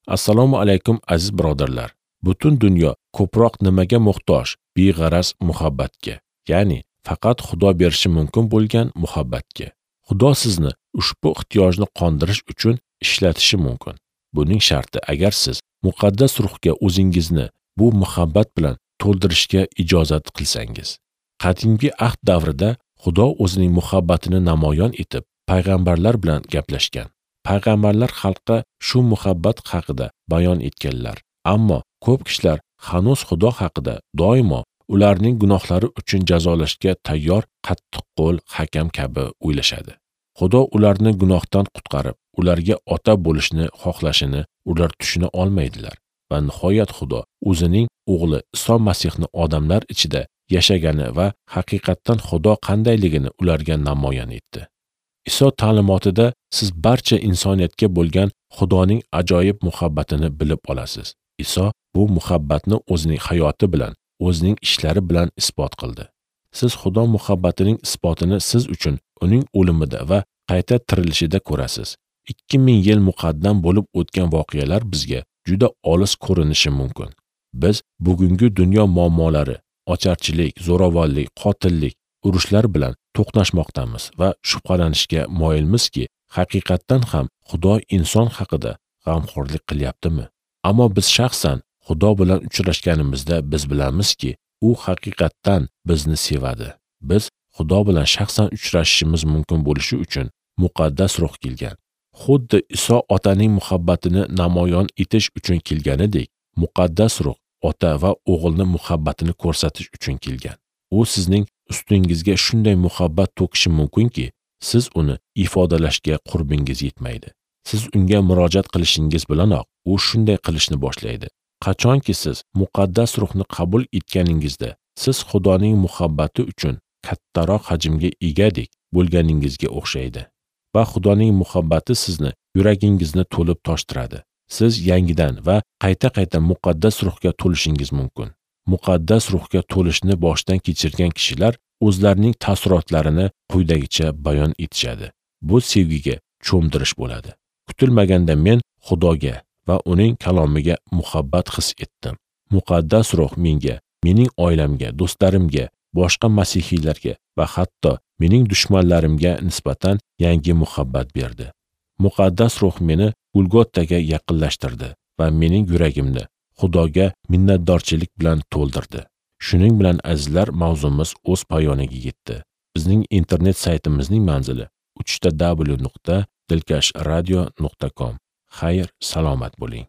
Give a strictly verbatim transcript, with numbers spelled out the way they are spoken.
Assalomu alaykum aziz birodarlar. Butun dunyo ko'proq nimaga muhtoj? Beg'araz muhabbatga. Ya'ni faqat Xudo berishi mumkin bo'lgan muhabbatga. Xudo sizni ushbu ehtiyojni qondirish uchun ishlatishi mumkin. Buning sharti agar siz muqaddas ruhga o'zingizni bu muhabbat bilan to'ldirishga ijozat qilsangiz. Qadimgi ahd davrida Xudo o'zining muhabbatini namoyon etib, payg'ambarlar bilan gaplashgan. Payg'ambarlar xalqqa shu muhabbat haqida bayon etganlar. Ammo ko'p kishilar hanuz Xudo haqida doimo ularning gunohlari uchun jazolashga tayyor qattiqqo'l hakam kabi o'ylashadi. Xudo ularni gunohdan qutqarib, ularga ota bo'lishni xohlashini ular tushuna olmaydilar. Va nihoyat Xudo o'zining o'g'li Iso Masihni odamlar ichida yashagani va haqiqatdan Xudo qandayligini ularga namoyon etdi. Iso ta'limotida siz barcha insoniyatga bo'lgan Xudoning ajoyib muhabbatini bilib olasiz. Iso bu muhabbatni o'zining hayoti bilan, o'zining ishlari bilan isbot qildi. Siz Xudo muhabbatining isbotini siz uchun uning o'limida va qayta tirilishida ko'rasiz. ikki ming yil muqaddam bo'lib o'tgan voqealar bizga juda olis ko'rinishi mumkin. Biz bugungi dunyo muammolari, ocharchilik, zo'ravonlik, qotillik, urushlar bilan to'qnashmoqdamiz va shubhalanishga moyilmizki, haqiqatdan ham Xudo inson haqida g'amxo'rlik qilyaptimi? Ammo biz shaxsan Xudo bilan uchrashganimizda biz bilamizki, u haqiqatdan bizni sevadi. Biz Xudo bilan shaxsan uchrashishimiz mumkin bo'lishi uchun muqaddas ruh kelgan. Xuddi Iso otaning muhabbatini namoyon etish uchun kelganidek, muqaddas ruh ota va o'g'ilning muhabbatini ko'rsatish uchun kelgan. U sizning ustingizga shunday muhabbat to'kishi mumkinki, siz uni ifodalashga qurbingiz yetmaydi. Siz unga murojaat qilishingiz bilanoq u shunday qilishni boshlaydi. Qachonki siz muqaddas ruhni qabul etganingizda, siz Xudoning muhabbati uchun kattaroq hajmga egadek bo'lganingizga o'xshaydi. Va Xudoning muhabbati sizni yuragingizni to'lib toshtiradi. Siz yangidan va qayta-qayta muqaddas ruhga to'lishingiz mumkin. Muqaddas ruhga to'lishni boshdan kechirgan kishilar o'zlarining taassurotlarini quyidagicha bayon etishadi. Bu sevgiga cho'mdirish bo'ladi. Kutilmaganda men Xudoga va uning kalomiga muhabbat his etdim. Muqaddas ruh menga, mening oilamga, do'stlarimga, boshqa masihiylarga va hatto mening dushmanlarimga nisbatan yangi muhabbat berdi. Muqaddas ruh meni Golgotaga yaqinlashtirdi va mening yuragimni Xudoga minnatdorchilik bilan to'ldirdi. Shuning bilan azizlar, mavzumiz o'z poyoniga yetdi. Bizning internet saytimizning manzili uch ta w nuqta dilkash radio nuqta com. Xayr, salomat bo'ling.